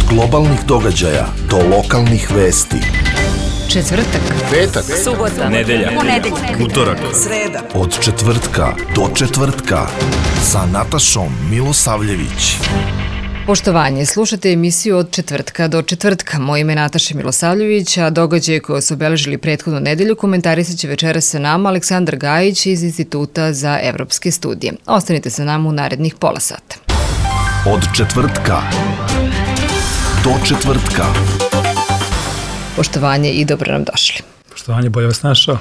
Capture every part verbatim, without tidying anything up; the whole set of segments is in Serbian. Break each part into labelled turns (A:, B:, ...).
A: globalnih događaja do lokalnih vesti.
B: Četvrtak,
C: petak,
B: subota,
C: nedelja,
B: ponedeljak,
C: utorak,
B: sreda.
A: Od četvrtka do četvrtka sa Natašom Milosavljević.
B: Poštovanje, slušate emisiju Od četvrtka do četvrtka. Moje ime je Nataša Milosavljević, a događaje koje su obeležili prethodnu nedelju komentarisat će večera sa nama Aleksandar Gajić iz Instituta za evropske studije. Ostanite sa nama u narednih pola sata.
A: Od četvrtka do četvrtka.
B: Poštovanje i dobro nam došli.
D: Poštovanje, bolje vas našao.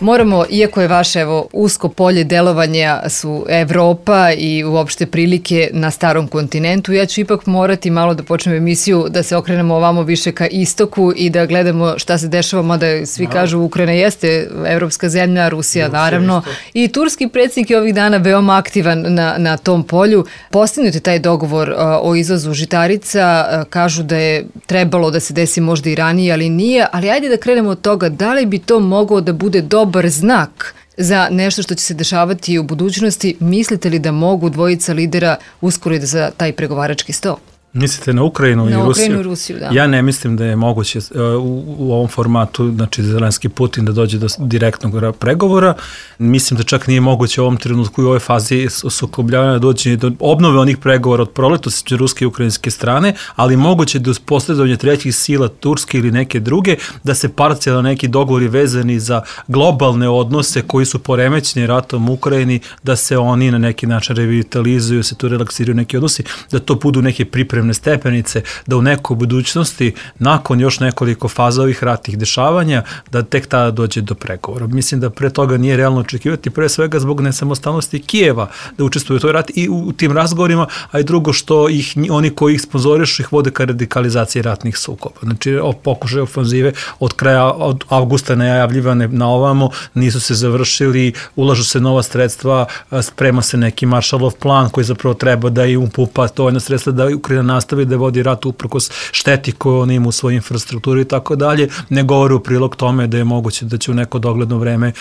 B: Moramo, iako je vaše evo, usko polje delovanja su Evropa i uopšte prilike na starom kontinentu, ja ću ipak morati malo da počnem emisiju da se okrenemo ovamo više ka istoku i da gledamo šta se dešava, mada svi kažu Ukrajina jeste evropska zemlja, Rusija naravno i turski predsjednik je ovih dana veoma aktivan na, na tom polju. Postignut je taj dogovor uh, o izvozu žitarica, uh, kažu da je trebalo da se desi možda i ranije, ali nije, ali ajde da krenemo od toga da li bi to mogao da bude dobar znak za nešto što će se dešavati u budućnosti. Mislite li da mogu dvojica lidera uskoro da za taj pregovarački sto?
D: Mislite na Ukrajinu
B: na
D: i Rusiju?
B: Na Ukrajinu i Rusiju, da.
D: Ja ne mislim da je moguće uh, u, u ovom formatu, znači Zelenski Putin da dođe do direktnog pregovora. Mislim da čak nije moguće u ovom trenutku i u ovoj fazi sukobljavanja doći do obnove onih pregovora od proletos između ruske i ukrajinske strane, ali moguće da uz posredovanje trećih sila, turske ili neke druge, da se parcijalno neki dogovori vezani za globalne odnose koji su poremećeni ratom u Ukrajini, da se oni na neki način revitalizuju, se tu relaksiraju neki odnosi, da to budu neke pripreme stepenice, da u nekoj budućnosti, nakon još nekoliko faza ovih ratnih dešavanja, da tek tada dođe do pregovora. Mislim da pre toga nije realno očekivati, pre svega zbog nesamostalnosti Kijeva da učestvuju u toj rat i u, u tim razgovorima, a i drugo što ih, oni koji ih sponzorišu ih vode ka radikalizaciji ratnih sukoba. Znači, pokušaj ofanzive od kraja, od avgusta najavljivane na ovamo, nisu se završili, ulažu se nova sredstva, sprema se neki Maršalov plan koji zapravo treba da i upupa to jedna sredstva da Ukrajina nastavi da vodi rat uprkos šteti koju on ima u svojoj infrastrukturi i tako dalje, ne govori u prilog tome da je moguće da će u neko dogledno vreme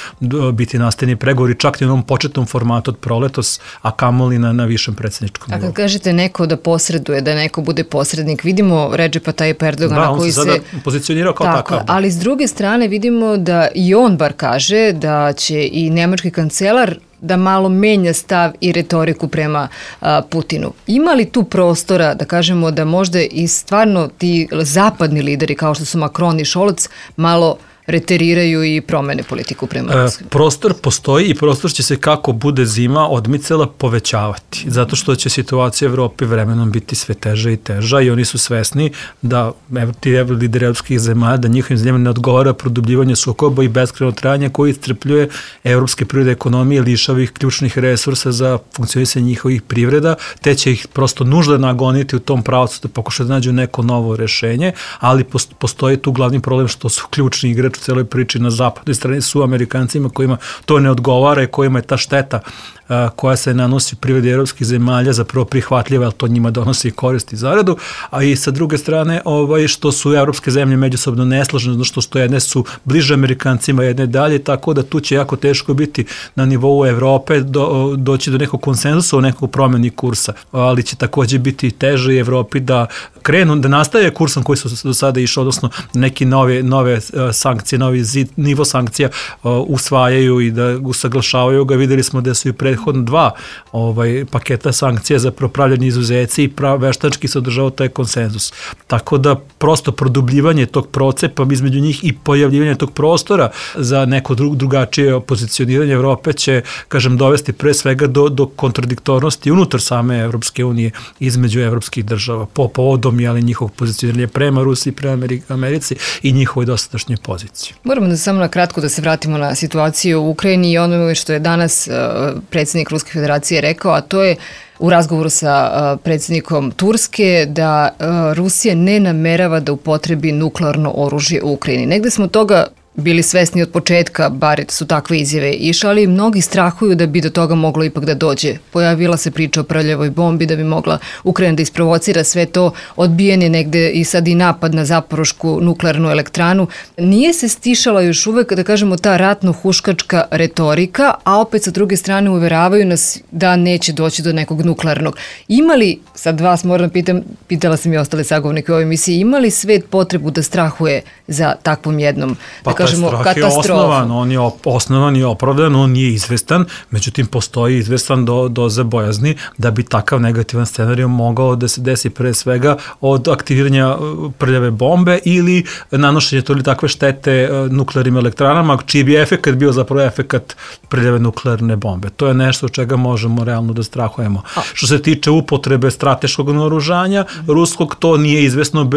D: biti nastavljeni pregovori, čak i u onom početnom formatu od proletos, a kamoli na, na višem predsjedničkom nivou.
B: A kad kažete neko da posreduje, da neko bude posrednik, vidimo Redžepa Tajip Erdogana
D: da,
B: koji se...
D: Da, on se sada pozicionirao kao
B: tako,
D: takav.
B: Ali s druge strane vidimo da i on bar kaže da će i nemački kancelar da malo menja stav i retoriku prema a, Putinu. Ima li tu prostora da kažemo da možda i stvarno ti zapadni lideri kao što su Macron i Scholz malo reteriraju i promene politiku prema Rusiji?
D: E, prostor postoji i prostor će se kako bude zima odmicala povećavati, zato što će situacija u Evropi vremenom biti sve teža i teža i oni su svesni da ti lideri evropskih zemalja, da njihovim zemljama ne odgovara produbljivanje sukoba i beskrajno trajanje koji iscrpljuje evropske privrede ekonomije, lišava ih ključnih resursa za funkcionisanje njihovih privreda, te će ih prosto nužda nagoniti u tom pravcu da pokušaju da nađu neko novo rešenje, ali postoji tu glavni problem što su ključni igrači u celoj priči na zapadnoj strani su Amerikancima kojima to ne odgovara i kojima je ta šteta uh, koja se nanosi u privredi evropskih zemalja zapravo prihvatljiva, ali to njima donosi korist i zaradu, a i sa druge strane ovaj, što su evropske zemlje međusobno nesložene, zato što, što jedne su bliže Amerikancima, jedne dalje, tako da tu će jako teško biti na nivou Evrope do, doći do nekog konsenzusa o nekog promeni kursa, ali će takođe biti teže i Evropi da krenu, da nastave kursom koji su do sada išli, odnosno neki nove, nove sankcije, novi zid, nivo sankcija uh, usvajaju i da usaglašavaju ga. Videli smo da su i prethodno dva ovaj, paketa sankcija za propravljanje izuzeci i prav, veštački se održao taj konsenzus. Tako da prosto produbljivanje tog procepa između njih i pojavljivanje tog prostora za neko dru, drugačije pozicioniranje Evrope će, kažem, dovesti pre svega do, do kontradiktornosti unutar same Evropske unije između evropskih država po povodom jeli, njihovog pozicioniranja prema Rusiji, prema Americi i njihovoj dosadašnjoj poziciji.
B: Moramo da samo na kratko da se vratimo na situaciju u Ukrajini i ono što je danas uh, predsjednik Ruske federacije rekao, a to je u razgovoru sa uh, predsjednikom Turske da uh, Rusija ne namerava da upotrebi nuklearno oružje u Ukrajini. Negde smo toga bili svesni od početka, bar su takve izjave išle, ali mnogi strahuju da bi do toga moglo ipak da dođe. Pojavila se priča o prljavoj bombi, da bi mogla Ukrajina da isprovocira sve to, odbijen je negde i sad i napad na Zaporošku nuklearnu elektranu. Nije se stišala još uvek, da kažemo, ta ratno-huškačka retorika, a opet sa druge strane uveravaju nas da neće doći do nekog nuklearnog. Ima li, sad vas moram pitam, pitala sam i ostale sagovornike u ovoj emisiji, ima li svet potrebu da strahuje za takvom jednom,
D: pa
B: da kažemo,
D: katastrofom? Je osnovan, on je osnovan i opravdan, on nije izvestan, međutim postoji izvestan do, doza bojazni da bi takav negativan scenarij mogao da se desi pre svega od aktiviranja prljave bombe ili nanošenje to ili takve štete nuklearnim elektranama, čiji bi efekat bio zapravo efekat prljave nuklearne bombe. To je nešto od čega možemo realno da strahujemo. A. Što se tiče upotrebe strateškog naoružanja ruskog, to nije izvesno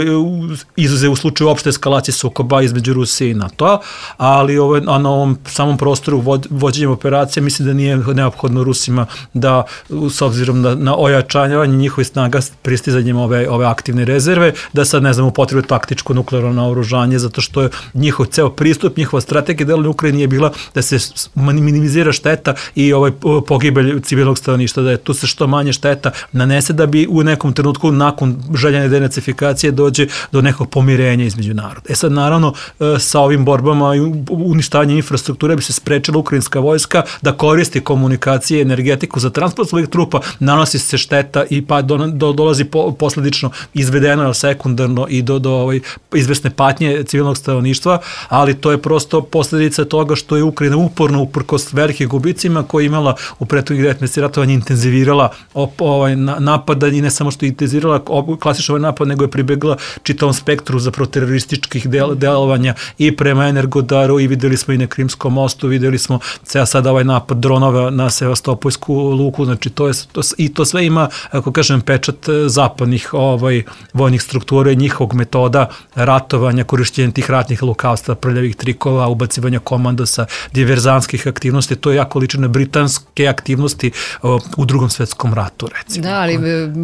D: izuze u slučaju opšte eskalacije sukoba između Rusije i NATO, ali ovaj, a na ovom samom prostoru vođenjem operacije mislim da nije neophodno Rusima da, s obzirom na, na ojačavanje njihovih snaga pristizanjem ove, ove aktivne rezerve, da sad ne znam upotrebe taktičko nuklearno naoružanje, zato što je njihov ceo pristup, njihova strategija delovanja Ukrajine je bila da se minimizira šteta i ovaj pogibelj civilnog stanovništva, da je tu se što manje šteta nanese da bi u nekom trenutku nakon željene denacifikacije dođe do nekog pomirenja između naroda. E sad naravno sa ovim borbama i uništavanjem infrastrukture bi se sprečila ukrajinska vojska da koristi komunikacije i energetiku za transport svojih trupa, nanosi se šteta i pa do, do, dolazi po, posledično izvedeno sekundarno i do, do ovaj, izvesne patnje civilnog stanovništva, ali to je prosto posledica toga što je Ukrajina uporno uprkos velikih gubicima koje je imala u prethodnih devet meseci ratovanja intenzivirala op, ovaj, napada i ne samo što je intenzivirala klasičan ovaj napad, nego je pribegla čitavom spektru za proterorističkih del, delovanja i prema Energodaru i videli smo i na Krimskom mostu, videli smo ceo sada ovaj napad dronova na Sevastopolsku luku, znači to je to, i to sve ima, ako kažem, pečat zapadnih ovaj, vojnih struktura i njihovog metoda ratovanja, korišćenja tih ratnih lukavstva, prljavih trikova, ubacivanja komandosa, diverzanskih aktivnosti, to je jako liči na britanske aktivnosti o, u drugom svetskom ratu, recimo.
B: Da, ali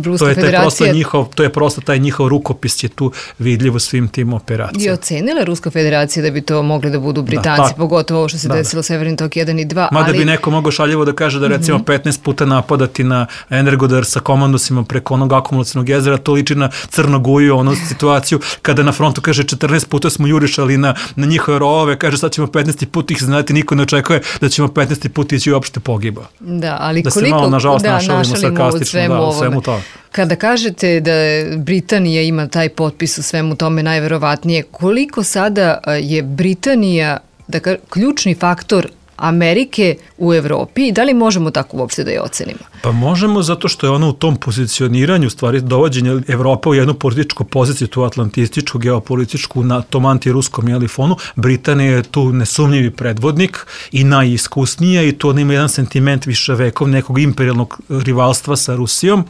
B: Ruska
D: to je
B: federacija...
D: Njihov, to je prosto taj njihov rukopis je tu vidljivo svim tim operacijama.
B: I ocenila Ruska federacija da bi to mogli da budu Britanci, da, ta, pogotovo ovo što se da, desilo Severni tok jedan i dva.
D: Mada
B: ali...
D: bi neko mogao šaljivo da kaže da recimo mm-hmm. petnaest puta napadati na Energodar sa komandosima preko onog akumulacionog jezera, to liči na Crnoguju, onu situaciju kada na frontu kaže četrnaest puta smo jurišali na, na njihove rovove, kaže sad ćemo petnaesti put ih znati, niko ne očekuje da ćemo petnaesti put ići uopšte pogiba.
B: Da, ali
D: da
B: koliko...
D: se malo, nažalost,
B: da,
D: našalimo sarkastično
B: svemu
D: da, u svemu
B: ovome.
D: to.
B: Kada kažete da Britanija ima taj potpis u svemu tome najverovatnije, koliko sada je Britanija da ka, ključni faktor Amerike u Evropi i da li možemo tako uopšte da je ocenimo?
D: Pa možemo zato što je ona u tom pozicioniranju, stvari dovođenje Evrope u jednu političku poziciju, tu atlantističku, geopolitičku, na tom antiruskom jelifonu. Britanija je tu nesumnjivi predvodnik i najiskusnija i tu ona ima jedan sentiment više vekov nekog imperijalnog rivalstva sa Rusijom.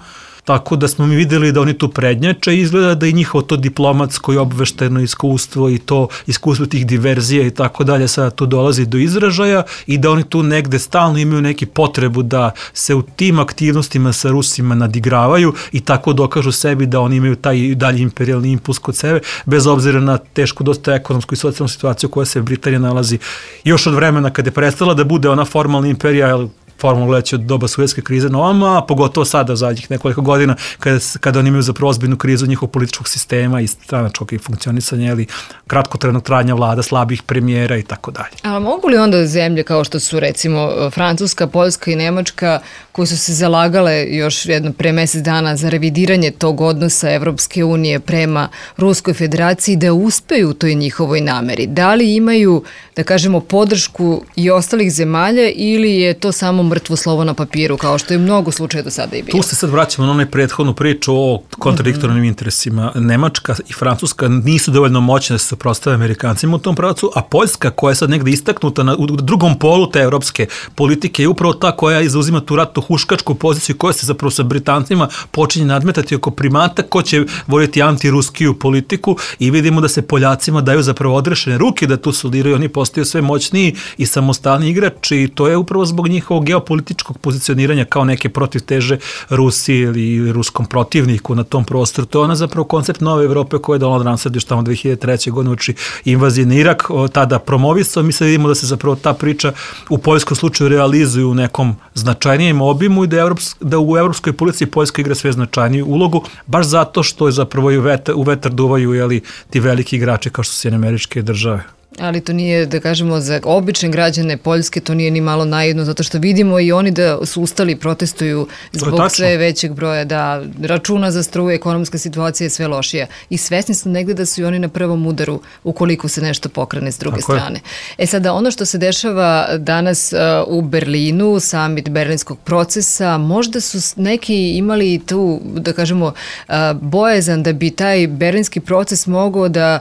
D: Tako da smo mi videli da oni tu prednjače i izgleda da i njihovo to diplomatsko i obvešteno iskustvo i to iskustvo tih diverzija i tako dalje sada tu dolazi do izražaja i da oni tu negde stalno imaju neki potrebu da se u tim aktivnostima sa Rusima nadigravaju i tako dokažu sebi da oni imaju taj dalji imperijalni impuls kod sebe, bez obzira na tešku dosta ekonomsku i socijalnu situaciju koja se Britanija nalazi još od vremena kada je prestala da bude ona formalna imperija, formalno gledajući od doba Sovjetske krize na ovama, a pogotovo sada zadnjih nekoliko godina kada, kada oni imaju zapravo ozbiljnu krizu njihovog političkog sistema i stranačkog i funkcionisanja ili kratkotrajnog trajanja vlada, slabih premijera i tako dalje.
B: A mogu li onda zemlje kao što su recimo Francuska, Poljska i Nemačka koje su se zalagale još jedno pre mesec dana za revidiranje tog odnosa Evropske unije prema Ruskoj federaciji da uspeju u toj njihovoj nameri? Da li imaju, da kažemo, podršku i ostalih zemalja ili je to samo mrtvo slovo na papiru, kao što je mnogo slučaja do sada i bilo?
D: Tu se sad vraćamo na onaj prethodnu priču o kontradiktornim mm-hmm. interesima. Nemačka i Francuska nisu dovoljno moćne da se suprotstave Amerikancima u tom pravcu, a Poljska, koja je sad negde istaknuta na, u drugom polu te evropske politike, je upravo ta koja izuzima tu ratno-huškačku poziciju koja se zapravo sa Britancima počinje nadmetati oko primata ko će voditi antiruskiju politiku i vidimo da se Poljacima daju zapravo odrešene ruke da tu soliraju, oni postaju sve moćniji i samostalni igrači i to je upravo zbog njihovog geopolitičkog geopolitičkog pozicioniranja kao neke protivteže Rusiji ili ruskom protivniku na tom prostoru. To je ona zapravo koncept nove Evrope koje je Donald Rumsfeld još tamo dve hiljade treće. godine uči invazije na Irak, tada promovisao. Mi sad vidimo da se zapravo ta priča u poljskom slučaju realizuje u nekom značajnijem obimu i da, Evrops, da u evropskoj policiji Poljska igra sve značajniju ulogu, baš zato što je zapravo i u vetar, u vetar duvaju jeli, ti veliki igrači kao što su Sjedinjene Američke Države.
B: Ali to nije, da kažemo, za obične građane Poljske, to nije ni malo naivno, zato što vidimo i oni da su ustali, protestuju zbog sve većeg broja, da računa za struju, ekonomska situacija je sve lošija. I svesni su negde da su i oni na prvom udaru ukoliko se nešto pokrene s druge Tako strane. Je. E sada, ono što se dešava danas uh, u Berlinu, summit berlinskog procesa, možda su neki imali tu, da kažemo, uh, bojazan da bi taj berlinski proces mogao da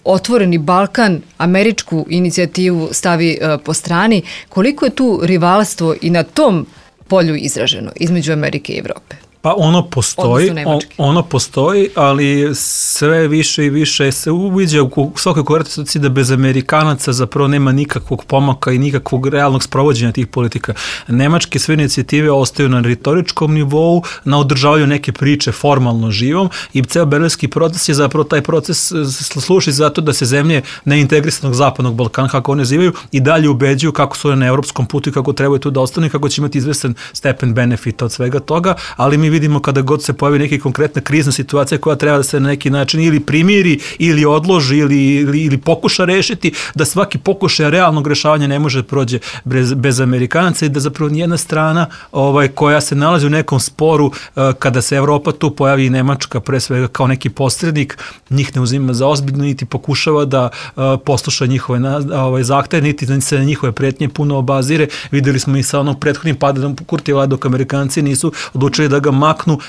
B: Otvoreni Balkan, američku inicijativu stavi uh, po strani. Koliko je tu rivalstvo i na tom polju izraženo između Amerike i Evrope?
D: Pa ono postoji, on, ono postoji, ali sve više i više se uviđa u svakoj korektaciji da bez Amerikanaca zapravo nema nikakvog pomaka i nikakvog realnog sprovođenja tih politika. Nemačke sve inicijative ostaju na retoričkom nivou, na održavanju neke priče formalno živom i ceo berlinski proces je zapravo taj proces služi zato da se zemlje neintegrisanog zapadnog Balkana, kako one zivaju, i dalje ubeđuju kako su one na evropskom putu i kako trebaju tu da ostanu i kako će imati izvestan stepen benefita od svega toga, ali mi vidimo kada god se pojavi neka konkretna krizna situacija koja treba da se na neki način ili primiri ili odloži ili, ili, ili pokuša rešiti, da svaki pokušaj realnog rešavanja ne može da prođe bez, bez Amerikanaca i da zapravo nijedna strana ovaj, koja se nalazi u nekom sporu kada se Evropa tu pojavi i Nemačka pre svega kao neki posrednik, njih ne uzima za ozbiljno niti pokušava da posluša njihove ovaj, zahteve, niti se na njihove pretnje puno obazire. Videli smo i sa onom prethodnim padom Kurtijeva dok Amerikanci nisu odlučili da ga maknu,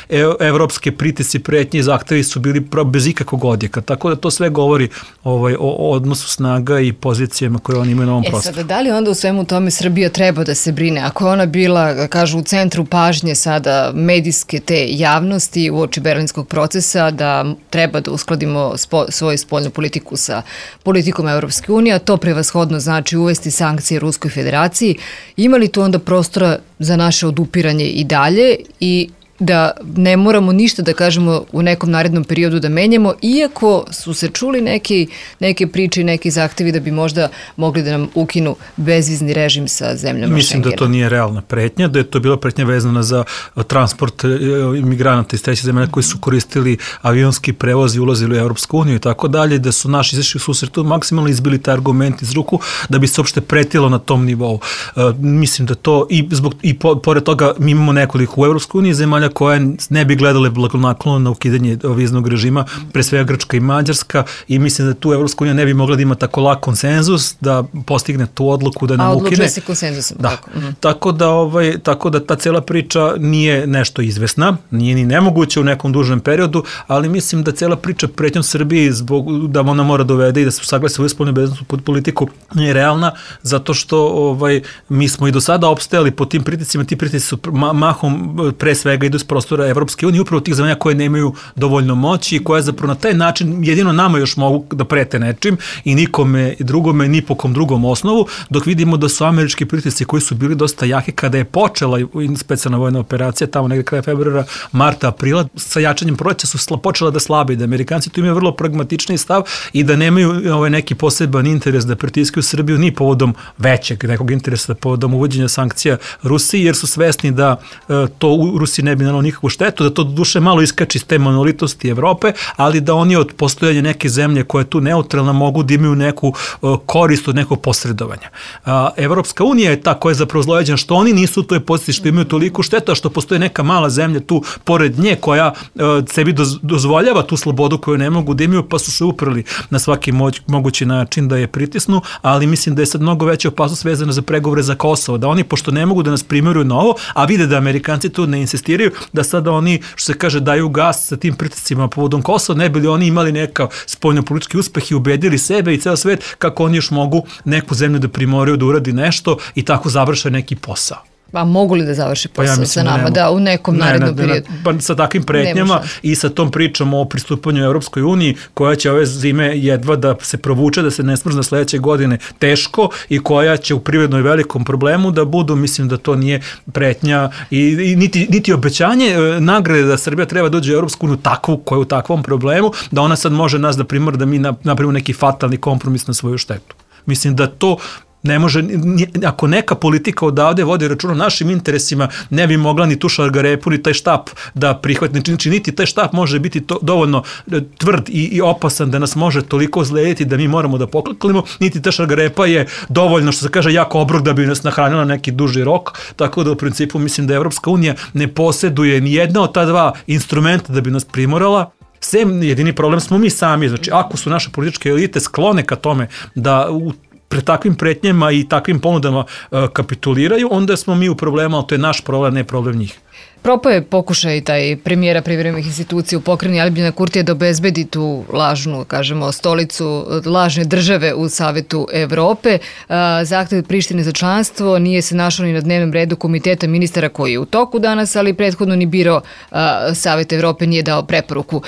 D: evropske pritisci, pretnje i zahtevi su bili bez ikakvog odjeka. Tako da to sve govori ovaj, o odnosu snaga i pozicijama koje oni imaju na ovom prostoru.
B: E sada, da li onda u svemu tome Srbija treba da se brine? Ako je ona bila, kažu, u centru pažnje sada medijske te javnosti u oči berlinskog procesa, da treba da uskladimo spo, svoju spoljnu politiku sa politikom Evropske unije, a to prevashodno znači uvesti sankcije Ruskoj federaciji, ima li tu onda prostora za naše odupiranje i dalje i da ne moramo ništa da kažemo u nekom narednom periodu da menjamo, iako su se čuli neki, neke priče i neki zahtevi da bi možda mogli da nam ukinu bezvizni režim sa zemljama
D: Mislim
B: Schengena.
D: Da to nije realna pretnja, da je to bila pretnja vezana za transport imigranata iz treće zemlje koji su koristili avionski prevoz i ulazili u Evropsku uniju i tako dalje, da su naši izašli u susretu maksimalno izbili taj argument iz ruku da bi se uopšte pretilo na tom nivou. Uh, mislim da to i, zbog, i po, pored toga mi imamo nekoliko u Evropskoj uniji zemalja koje ne bi gledale blagonaklono na ukidanje viznog režima, pre svega Grčka i Mađarska, i mislim da tu Evropska unija ne bi mogla da ima tako lak konsenzus da postigne tu odluku da nam ukine. A
B: odlučuje se konsenzusom.
D: Da. Tako. Mm. Tako, da, ovaj, tako da ta cela priča nije nešto izvesna, nije ni nemoguće u nekom dužem periodu, ali mislim da cela priča pretnjom Srbiji zbog da ona mora dovede i da se saglasi svoju spoljnu bezbednosnu politiku nije realna, zato što ovaj, mi smo i do sada opstajali pod tim pritiscima, ti pritisci su mahom pre svega idu s prostora Evropske unije, upravo tih zemalja koje nemaju dovoljno moći i koje zapravo na taj način jedino nama još mogu da prete nečim i nikome drugome, ni po kom drugom osnovu, dok vidimo da su američki pritisci koji su bili dosta jaki kada je počela specijalna vojna operacija, tamo negde kraja februara, marta, aprila, sa jačanjem proleća su sla, počela da slabe, da Amerikanci tu imaju vrlo pragmatični stav i da nemaju ovaj, neki poseban interes da pritiskaju Srbiju ni povodom većeg nekog interesa, povodom uvođenja sankcija Rusiji, jer su svesni da e, to u Rusiji ne bi nanalo nikakvu štetu, da to duše malo iskači iz te monolitosti Evrope, ali da oni od postojanja neke zemlje koja je tu neutralna mogu da imaju neku uh, korist od nekog posredovanja. Uh, Evropska unija je ta koja je zapravo zlojeđena što oni nisu u toj poziciji, što imaju toliko štetu, a što postoje neka mala zemlja tu pored nje koja uh, sebi doz, dozvoljava tu slobodu koju ne mogu da imaju, pa su se uprli na svaki moć, mogući način da je pritisnu, ali mislim da je sad mnogo veća opasnost vezana za pregovore za Kosovo, da oni, pošto ne mogu da nas primeruju na ovo, a vide da Amerikanci tu ne insistiraju, da sada oni, što se kaže, daju gas sa tim pritiscima povodom Kosova, ne bi li oni imali neka spoljnopolitički uspeh i ubedili sebe i ceo svet kako oni još mogu neku zemlju da primoraju da uradi nešto i tako završe neki posao.
B: A mogu li da završi posao
D: pa ja
B: sa nama, da, u nekom
D: ne,
B: narednom
D: ne,
B: periodu?
D: Pa sa takvim pretnjama i sa tom pričom o pristupanju Evropskoj uniji, koja će ove zime jedva da se provuče, da se ne smrzne sledeće godine teško i koja će u privrednoj velikom problemu da budu, mislim da to nije pretnja i, i niti, niti obećanje nagrade da Srbija treba dođe u Evropsku uniju takvu, koja je u takvom problemu, da ona sad može nas da primora da mi napravimo neki fatalni kompromis na svoju štetu. Mislim da to ne može, ako neka politika odavde vodi račun o našim interesima, ne bi mogla ni tu Šargarepu, ni taj štap da prihvati. Znači, niti taj štap može biti to, dovoljno tvrd i, i opasan da nas može toliko zlediti da mi moramo da pokliklimo, niti ta Šargarepa je dovoljno, što se kaže, jako obrok da bi nas nahranila neki duži rok, tako da u principu mislim da Evropska unija ne posjeduje ni jedna od ta dva instrumenta da bi nas primorala. Sem jedini problem smo mi sami, znači ako su naše političke elite sklone ka tome da u pred takvim pretnjama i takvim ponudama uh, kapituliraju, onda smo mi u problemu, ali to je naš problem, ne problem njih.
B: Propao je pokušaj taj premijera privremenih institucija u pokrajini Aljbina Kurtija da obezbedi tu lažnu, kažemo, stolicu lažne države u Savetu Evrope. Zahtev Prištine za članstvo nije se našao ni na dnevnom redu komiteta ministara koji je u toku danas, ali prethodno ni biro Savet Evrope nije dao preporuku.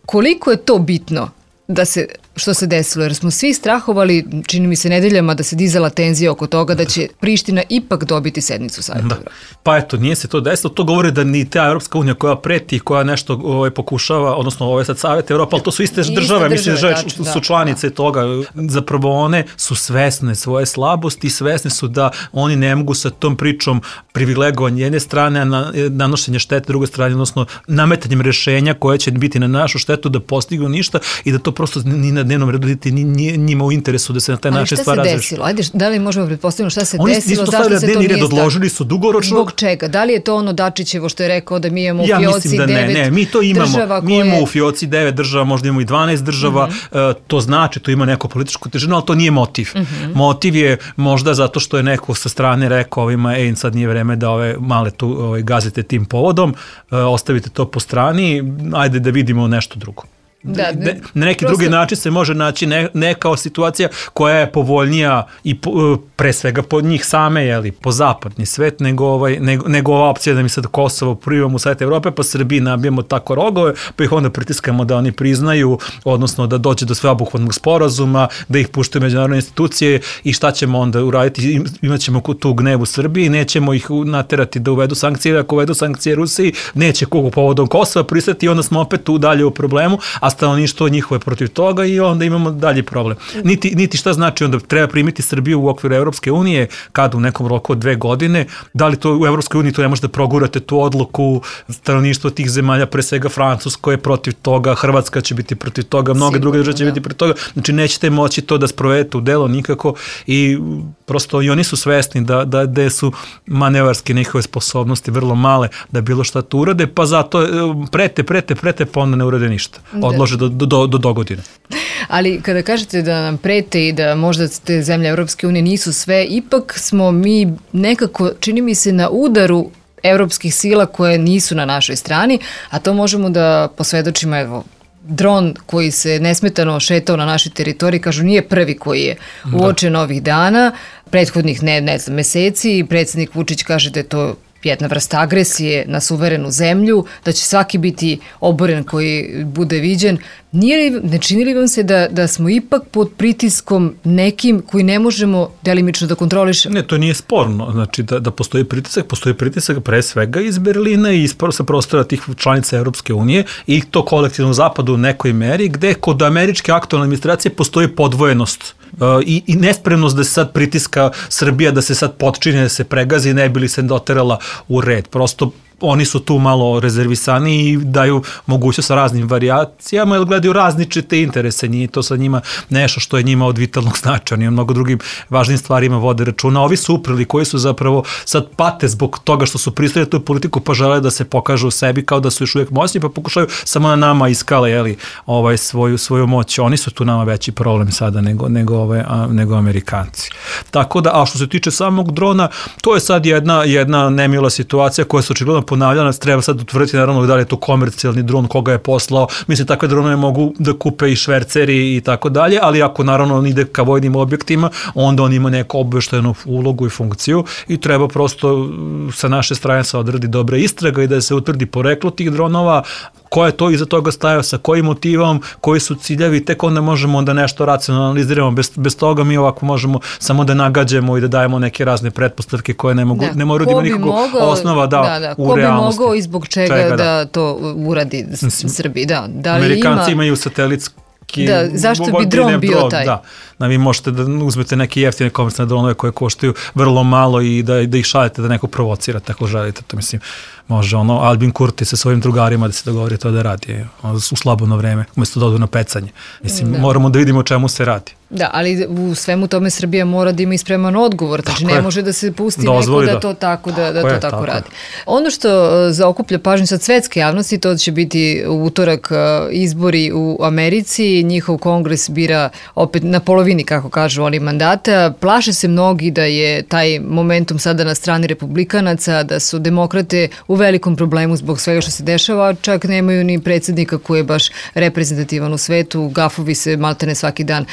B: Koliko je to bitno da se, što se desilo, jer smo svi strahovali, čini mi se nedeljama, da se dizala tenzija oko toga da će Priština ipak dobiti sednicu Saveta Evrope.
D: Pa eto, nije se to desilo, to govori da ni ta Evropska unija koja preti, koja nešto ovaj, pokušava, odnosno ovo je sad Savet Evrope, ali to su iste, iste države, mislim da su, su članice da. toga. Zapravo one su svesne svoje slabosti, svesne su da oni ne mogu sa tom pričom privilegovanja jedne strane, a na, nanošenje štete druge strane, odnosno nametanjem rešenja koje će biti na našu štetu da postignu ništa i da to prosto ni na dnevnom redu niti ni njima u interesu da se na taj način stvar razreši.
B: Ali šta se desilo? Ajde, da li možemo pretpostaviti šta se
D: Oni
B: desilo?
D: Oni nisu postavili dnevni red, odložili su dugoročno.
B: Zbog čega? Da li je to ono Dačićevo što je rekao da mi imamo u
D: ja
B: fioci
D: da
B: devet
D: ne, ne, mi to imamo,
B: država
D: mi imamo koje... u fioci devet država, možda imamo i dvanaest država, uh-huh. uh, to znači, to ima neko političku težinu, ali to nije motiv. Uh-huh. Motiv je možda zato što je neko sa strane rekao ovima, ej, sad nije vreme da ove male tu ove, gazite tim povodom, uh, ostavite to po strani, ajde da vidimo nešto drugo. Da, ne, na neki prosto... drugi način se može naći ne, neka situacija koja je povoljnija i po, pre svega po njih same, jeli, po zapadni svet, nego, ovaj, nego, nego ova opcija da mi sad Kosovo primamo u Savet Evrope, pa Srbiji nabijemo tako rogove, pa ih onda pritiskamo da oni priznaju, odnosno da dođe do sveobuhvatnog sporazuma, da ih puštaju međunarodne institucije i šta ćemo onda uraditi, imat ćemo tu gnev u Srbiji, nećemo ih naterati da uvedu sankcije, ako uvedu sankcije Rusiji, neće kogu povodom Kosova pristati i onda smo opet tu dalje u problemu, a stanovništvo njihove protiv toga i onda imamo dalji problem. Niti, niti šta znači onda treba primiti Srbiju u okviru Evropske unije kad u nekom roku od dve godine, da li to u Evropskoj uniji to ne možete progurate tu odluku, stanovništvo tih zemalja, pre svega Francusko je protiv toga, Hrvatska će biti protiv toga, mnoge druge države će biti protiv toga, znači nećete moći to da sprovedete u delo nikako i prosto i oni su svesni da, da, da su manevarske njihove sposobnosti vrlo male da bilo šta tu urade, pa zato prete, prete, prete, pa onda ne urade ništa. Odlože do, do, do, do dogodine.
B: Ali kada kažete da nam prete i da možda te zemlje Evropske unije nisu sve, ipak smo mi nekako, čini mi se, na udaru evropskih sila koje nisu na našoj strani, a to možemo da posvedočimo, evo, dron koji se nesmetano šetao na našoj teritoriji, kažu nije prvi koji je uočen ovih dana, prethodnih ne, ne znam, meseci i predsjednik Vučić kaže da je to jedna vrsta agresije na suverenu zemlju, da će svaki biti oboren koji bude viđen. Nije li, ne čini li vam se da, da smo ipak pod pritiskom nekim koji ne možemo delimično da kontrolišemo?
D: Ne, to nije sporno. Znači da, da postoji pritisak, postoji pritisak pre svega iz Berlina i iz sa prostora tih članica Evropske unije i to kolektivno zapadu u nekoj meri, gde kod američke aktualne administracije postoji podvojenost i, i nespremnost da se sad pritiska Srbija, da se sad potčine, da se pregazi, ne bi li se doterala u red. Prosto oni su tu malo rezervisani i daju mogućnost sa raznim varijacijama, jer gledaju različite interese, nije to sa njima nešto što je njima od vitalnog značaja, oni o mnogo drugim važnim stvarima vode računa. Ovi su uprili koji su zapravo sad pate zbog toga što su pristali tu politiku, pa žele da se pokažu u sebi kao da su još uvijek moćni, pa pokušaju samo na nama iskale, jeli, ovaj, svoju, svoju moć. Oni su tu nama veći problem sada nego, nego, ove, a, nego Amerikanci. Tako da, a što se tiče samog drona, to je sad jedna, jedna nemila situacija koja se očigledno ponavljala, treba sad utvrditi naravno da li je to komercijalni dron, koga je poslao. Mislim, takve dronove mogu da kupe i šverceri i tako dalje, ali ako naravno on ide ka vojnim objektima, onda on ima neku obaveštajnu ulogu i funkciju i treba prosto sa naše strane se odradi dobra istraga i da se utvrdi poreklo tih dronova, ko je to iza toga stajao, sa kojim motivom, koji su ciljevi, tek onda možemo da nešto racionalno analiziramo. Bez, bez toga mi ovako možemo samo da nagađamo i da dajemo neke razne pretpostavke koje ne mogu, da. ne moraju da ima nikakvog osnova da, da, da. u realnosti.
B: Ko bi mogao i zbog čega, čega da. da to uradi Srbiji? Da. Da li
D: Amerikanci
B: ima...
D: imaju satelitski
B: Da, zašto bi dron bio
D: dron,
B: taj?
D: Da, da vi možete da uzmete neke jeftine komercijalne dronove koje koštaju vrlo malo i da, da ih šaljete da neko provocira, tako želite. To mislim, može ono, Albin Kurti sa svojim drugarima da se dogovori to da radi u slabodno vreme, umjesto da odu na pecanje. Mislim, da. moramo da vidimo o čemu se radi.
B: Da, ali u svemu tome Srbija mora da ima ispreman odgovor, znači ne je. može da se pusti Dozvoli neko da, da to tako, da, da to je, tako, tako radi. Ono što zaokuplja pažnju sad svetske javnosti, to će biti u utorak izbori u Americi, njihov kongres bira opet na polovini, kako kažu oni, mandata. Plaše se mnogi da je taj momentum sada na strani republikanaca, da su demokrate u velikom problemu zbog svega što se dešava, čak nemaju ni predsjednika koji je baš reprezentativan u svetu, gafovi se maltene svaki dan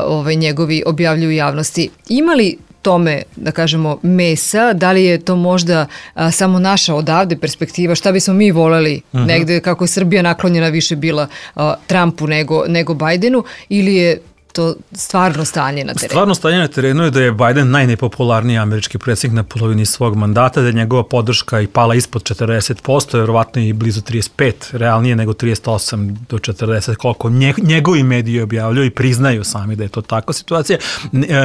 B: Ovaj, njegovi objavljuju javnosti. Ima li tome, da kažemo, mesa, da li je to možda a, samo naša odavde perspektiva, šta bismo mi voleli uh-huh. negde, kako je Srbija naklonjena više bila a, Trumpu nego, nego Bajdenu, ili je to stvarno stanje na terenu? Stvarno
D: stanje na terenu je da je Biden najnepopularniji američki predsjednik na polovini svog mandata, da je njegova podrška i pala ispod četrdeset posto, vjerovatno i blizu trideset pet, realnije nego trideset osam do četrdeset, koliko njegovi mediji objavljaju i priznaju sami da je to takva situacija.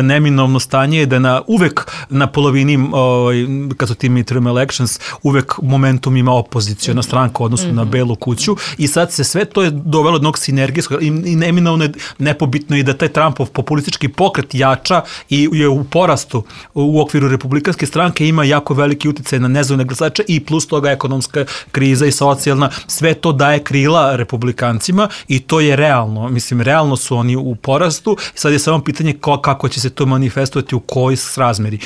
D: Neminovno stanje je da na, uvek na polovini, ovaj, kad su ti midterm elections, uvek momentum ima opozicijona stranka u odnosu mm-hmm. na Belu kuću i sad se sve to je dovelo jednog sinergijskog i, i neminovno je nepobitno i da taj Trumpov populistički pokret jača i je u porastu u okviru republikanske stranke, ima jako veliki uticaj na nezavisne glasače i plus toga ekonomska kriza i socijalna, sve to daje krila republikancima i to je realno. Mislim, realno su oni u porastu. Sad je samo pitanje kako će se to manifestovati, u kojoj srazmeri.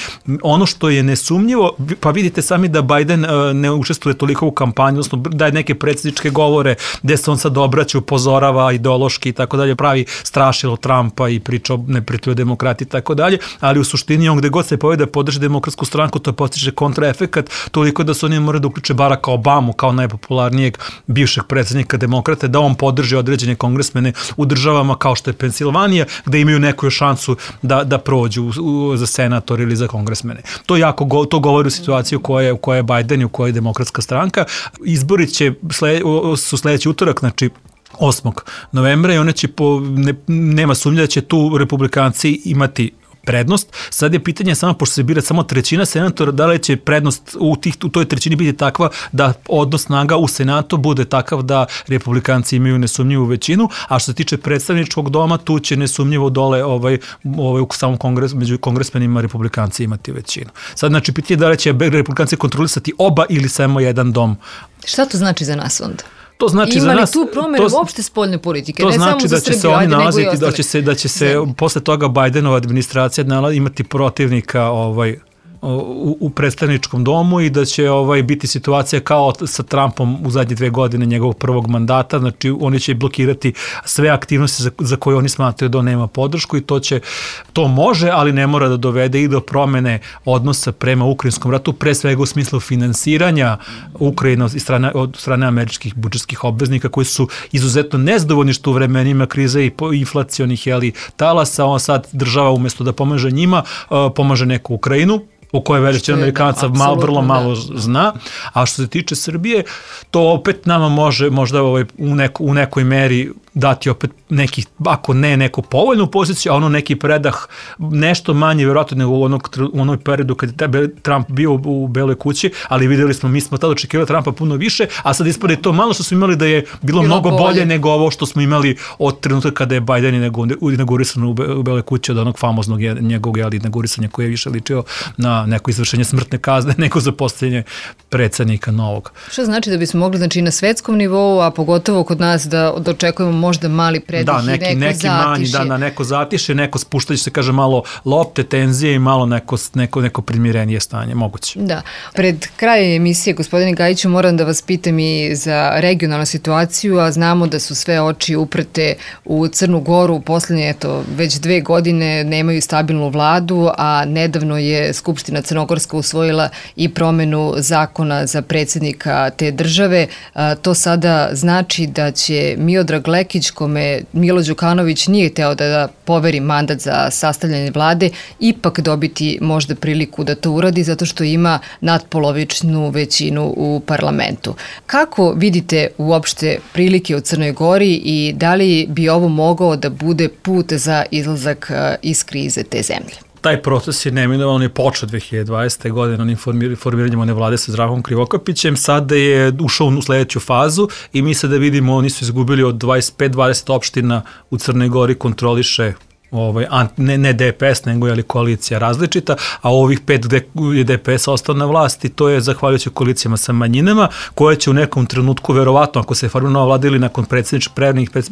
D: Ono što je nesumnjivo, pa vidite sami da Biden ne učestvuje toliko u kampanju, odnosno daje neke predsjedničke govore gde se on sad obraća, upozorava ideološki i tako dalje, pravi strašilo Trumpa i priča o neprijatelju demokratiji i tako dalje, ali u suštini on gde god se povede da podrži demokratsku stranku, to postiže kontraefekat, toliko da su oni moraju da uključe Baracka Obamu kao najpopularnijeg bivšeg predsjednika demokrate, da on podrži određene kongresmene u državama kao što je Pensilvanija, gde imaju neku šansu da, da prođu u, za senator ili za kongresmene. To jako go, to govori u situaciju u kojoj je, u kojoj je Biden i u kojoj je demokratska stranka. Izbori će sled, su sledeći utorak, znači osmog novembra i one će po, ne, nema sumnje da će tu republikanci imati prednost. Sad je pitanje samo, pošto se bira samo trećina senatora, da li će prednost u, tih, u toj trećini biti takva da odnos snaga u senatu bude takav da republikanci imaju nesumnjivu većinu, a što se tiče predstavničkog doma, tu će nesumnjivo dole ovaj, ovaj, u samom kongresu, među kongresmenima republikanci imati većinu. Sad, znači, pitanje da li će republikanci kontrolisati oba ili samo jedan dom.
B: Šta to znači za nas onda?
D: To znači
B: Ima
D: za
B: li
D: nas,
B: tu promjene to, uopšte spoljne politike?
D: To
B: ne
D: znači
B: samo
D: da
B: za
D: će
B: Srbiju,
D: se oni
B: ajde,
D: nalaziti, da će se, da će se posle toga Bidenova administracija imati protivnika ovaj, u, u predstavničkom domu i da će ovaj biti situacija kao sa Trumpom u zadnje dve godine njegovog prvog mandata, znači oni će blokirati sve aktivnosti za, za koje oni smatraju da on nema podršku i to će, to može, ali ne mora da dovede i do promene odnosa prema ukrajinskom ratu, pre svega u smislu finansiranja Ukrajine od strane, od strane američkih budžetskih obveznika koji su izuzetno nezadovoljni što u vremenima krize i inflacionih jeli, talasa, on sad država umjesto da pomaže njima, pomaže neku Ukrajinu, u kojoj većina Amerikanaca da, malo, vrlo malo da. zna, a što se tiče Srbije, to opet nama može možda ovaj, u, neko, u nekoj meri dati opet neki, ako ne neku povoljnu poziciju, a ono neki predah nešto manje vjerojatno nego u, onog, u onoj periodu kad je Trump bio u, u Beloj kući, ali vidjeli smo, mi smo tada očekivali Trumpa puno više, a sad ispade to malo što smo imali da je bilo, bilo mnogo bolje. bolje nego ovo što smo imali od trenutka kada je Biden inaugurisan u, Be, u Beloj kući od onog famoznog njegovog inaugurisanja koji je više ličio na neko izvršenje smrtne kazne nego za postavljanje predsjednika novog.
B: Što znači da bismo mogli, znači, na svetskom nivou, a pogotovo kod nas da dočekujemo možda mali predih
D: da,
B: i
D: neki,
B: neko
D: neki
B: zatiše.
D: manji, da, da, neko zatiše, neko spuštaće se, kaže, malo lopte, tenzije i malo neko, neko, neko primirenije stanje, moguće.
B: Da. Pred krajem emisije, gospodine Gajiću, moram da vas pitam i za regionalnu situaciju, a znamo da su sve oči uprte u Crnu Goru, poslednje, eto, već dve godine nemaju stabilnu vladu, a nedavno je Skupština Crnogorska usvojila i promenu zakona za predsjednika te države. A, to sada znači da će Miodrag Lekić, kome Milo Đukanović nije hteo da, da poveri mandat za sastavljanje vlade, ipak dobiti možda priliku da to uradi zato što ima nadpolovičnu većinu u parlamentu. Kako vidite uopšte prilike u Crnoj Gori i da li bi ovo mogao da bude put za izlazak iz krize te zemlje?
D: Taj proces je neminovan, on je počeo dve hiljade dvadesete. godine onim formiranjem one vlade sa Zdravkom Krivokapićem, sada je ušao u sledeću fazu i mi sada vidimo, oni su izgubili od dvadeset pet dvadeset opština u Crnoj Gori, kontroliše Ovaj, ne, ne D P S, nego je li koalicija različita, a ovih pet gde je D P S ostao na vlasti, to je zahvaljujući koalicijama sa manjinama, koje će u nekom trenutku, verovatno, ako se formira nova vlada ili nakon predsjedničkih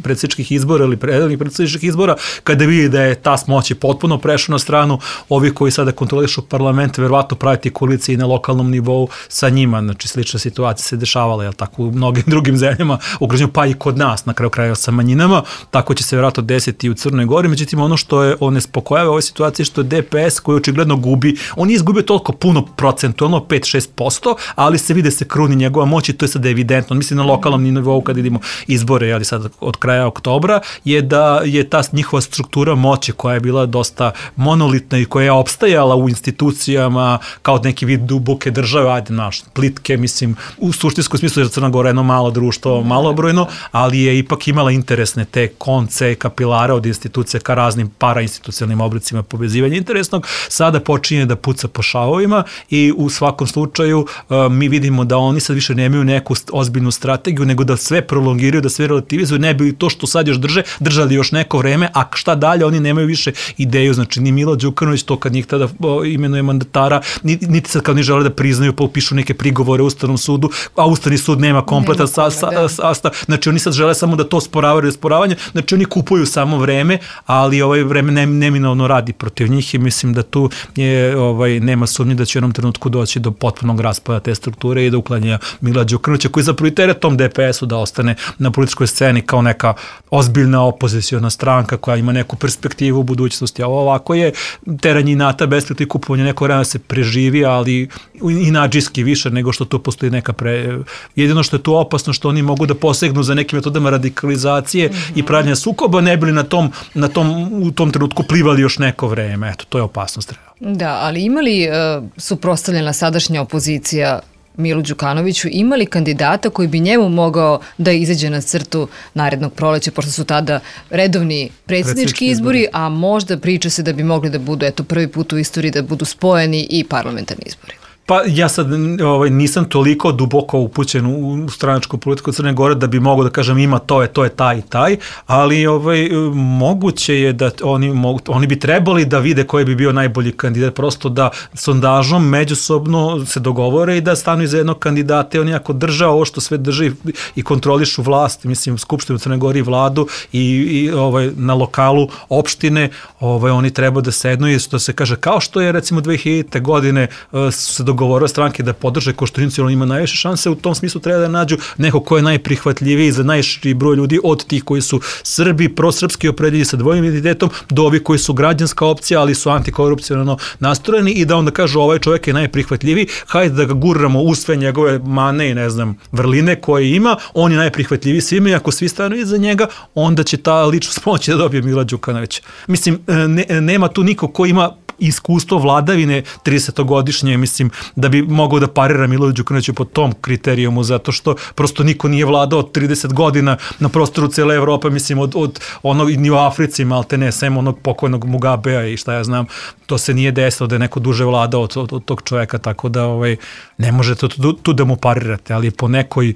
D: predsjedničkih izbora ili predstavnih predsjedničkih izbora, kada vidi da je ta moći potpuno prešla na stranu ovih koji sada kontrolišu parlament, verovatno praviti koalicije i na lokalnom nivou sa njima. Znači, slična situacija se dešavala, jel tako, u mnogim drugim zemljama, ugroženju, pa i kod nas, na kraju kraja sa manjinama, tako će se verovatno desiti i u Crnoj Gori. Međutim, ono što je on nespokojava u ovoj situaciji što je D P S koji očigledno gubi, on je izgubio toliko puno procentualno, pet do šest posto, ali se vide se kruni njegova moć i to je sada evidentno. Mislim na lokalnom nivou kad idemo izbore, ali sad od kraja oktobra, je da je ta njihova struktura moći koja je bila dosta monolitna i koja je opstajala u institucijama kao neki vid duboke države, ajde naš, plitke, mislim, u suštinskom smislu jer Crna Gora je jedno malo društvo, malobrojno, ali je ipak imala interesne te konce, kapilare od institucija ka raznim parainstitucionalnim oblicima povezivanja interesnog, sada počinje da puca po šavovima i u svakom slučaju uh, mi vidimo da oni sad više nemaju neku ozbiljnu strategiju, nego da sve prolongiraju, da sve relativizuju, ne bi to što sad još drže, držali još neko vreme, a šta dalje, oni nemaju više ideju, znači ni Milo Đukanović to kad njih tada imenuje mandatara, niti, niti sad kad oni žele da priznaju, pa upišu neke prigovore u Ustavnom sudu, a Ustavni sud nema kompletan sastav, sa, sa, znači oni sad žele samo da to sporavaju i sporavanje, znači oni kupuju samo vreme, ali ovaj vreme ne, neminovno radi protiv njih i mislim da tu je, ovaj, nema sumnje da će u jednom trenutku doći do potpunog raspada te strukture i do uklanja Mila Đukanovića koji zapravo i teret tom D P S-u da ostane na političkoj sceni kao neka ozbiljna opoziciona stranka koja ima neku perspektivu u budućnosti, a ovako je teranje inata, besperspektivno kupovanje neko vremena se preživi, ali inađiski više nego što tu postoji neka pre... Jedino što je tu opasno što oni mogu da posegnu za nekim metodama radikalizacije mm-hmm. i pravljanja sukoba, ne bili na tom, na tom, u tom trenutku plivali još neko vreme. Eto, to je opasnost.
B: Da, ali ima li uh, suprotstavljena sadašnja opozicija Milu Đukanoviću, ima li kandidata koji bi njemu mogao da izađe na crtu narednog proleća, pošto su tada redovni predsjednički izbori, a možda priča se da bi mogli da budu, eto, prvi put u istoriji da budu spojeni i parlamentarni izbori?
D: Pa ja sad ovaj, nisam toliko duboko upućen u stranačku politiku Crne Gore da bi mogao da kažem ima to je, to je taj i taj, ali ovaj, moguće je da oni, mogu, oni bi trebali da vide koji bi bio najbolji kandidat, prosto da sondažom međusobno se dogovore i da stanu iza jednog kandidata i oni ako drže ovo što sve drži i kontrolišu vlast, mislim Skupštinu Crne Gore i vladu i, i ovaj, na lokalu opštine, ovaj, oni treba da sednu i što se kaže, kao što je recimo dve hiljadite. godine su se dogovorio stranke da podrže Koštunicu, on ima najviše šanse, u tom smislu treba da nađu neko ko je najprihvatljiviji za najširi broj ljudi od tih koji su Srbi, prosrpski opredeljeni sa dvojnim identitetom, do ovih koji su građanska opcija, ali su antikorupcionalno nastrojeni i da onda kažu ovaj čovjek je najprihvatljiviji, hajde da ga guramo u sve njegove mane i ne znam, vrline koje ima, on je najprihvatljiviji svima i ako svi stanu iza njega, onda će ta ličnost moći da dobije Mila Đukanovića. Mislim, ne, nema tu niko ko ima iskustvo vladavine tridesetogodišnje, mislim, da bi mogao da parira Milo Đukanoviću po tom kriterijumu, zato što prosto niko nije vladao trideset godina na prostoru cele Evrope, mislim, od, od onog, ni u Africi, malte ne, sem onog pokojnog Mugabea i šta ja znam, to se nije desilo da je neko duže vladao od, od, od tog čovjeka, tako da ovaj, ne možete tu, tu da mu parirate, ali po nekoj e,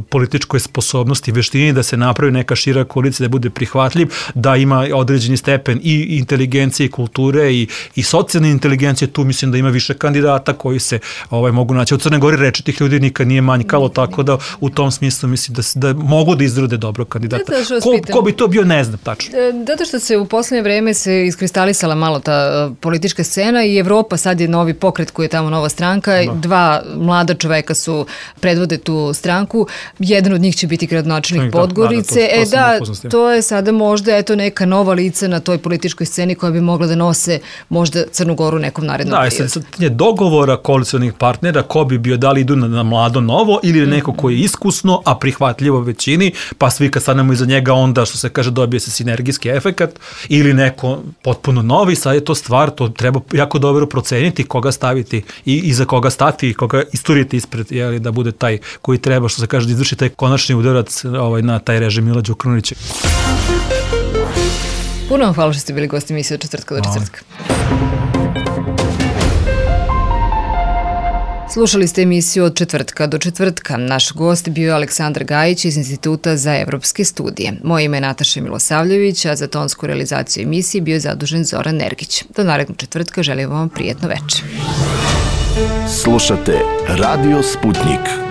D: političkoj sposobnosti, veštini da se napravi neka šira koalicija, da bude prihvatljiv, da ima određeni stepen i inteligencije i kulture i, i i socijalne inteligencije, tu mislim da ima više kandidata koji se ovaj, mogu naći. U Crnoj Gori reči tih ljudi nikad nije manjkalo, tako da u tom smislu mislim da, da mogu da izrode dobro kandidata. Ko, ko bi to bio, ne znam tačno.
B: Zato što se u poslednje vreme se iskristalisala malo ta uh, politička scena i Evropa sad je novi pokret koji je tamo nova stranka. Da. Dva mlada čoveka su predvode tu stranku. Jedan od njih će biti gradonačelnik Podgorice. Da, da, to, to e da, to je sada možda eto neka nova lica na toj političkoj sceni koja bi mogla da nose možda Crnu Goru nekom narednom
D: periodu. Da, sad je dogovora koalicionih partnera ko bi bio, da li idu na, na mlado novo ili neko koji je iskusno, a prihvatljivo većini, pa svi kad stanemo iza njega onda, što se kaže, dobije se sinergijski efekat, ili neko potpuno novi, sad je to stvar, to treba jako dobro proceniti koga staviti i iza koga stati i koga isturiti ispred, jeli, da bude taj koji treba, što se kaže, da izvrši taj konačni udarac ovaj, na taj režim Mila Đukanovića.
B: Puno vam hvala što ste bili gosti emisije od četvrtka do četvrtka. Slušali ste emisiju od četvrtka do četvrtka. Naš gost bio je Aleksandar Gajić iz Instituta za evropske studije. Moje ime je Nataša Milosavljević, a za tonsku realizaciju emisije bio je zadužen Zoran Nergić. Do narednog četvrtka želim vam prijetno večer.
A: Slušate Radio Sputnik.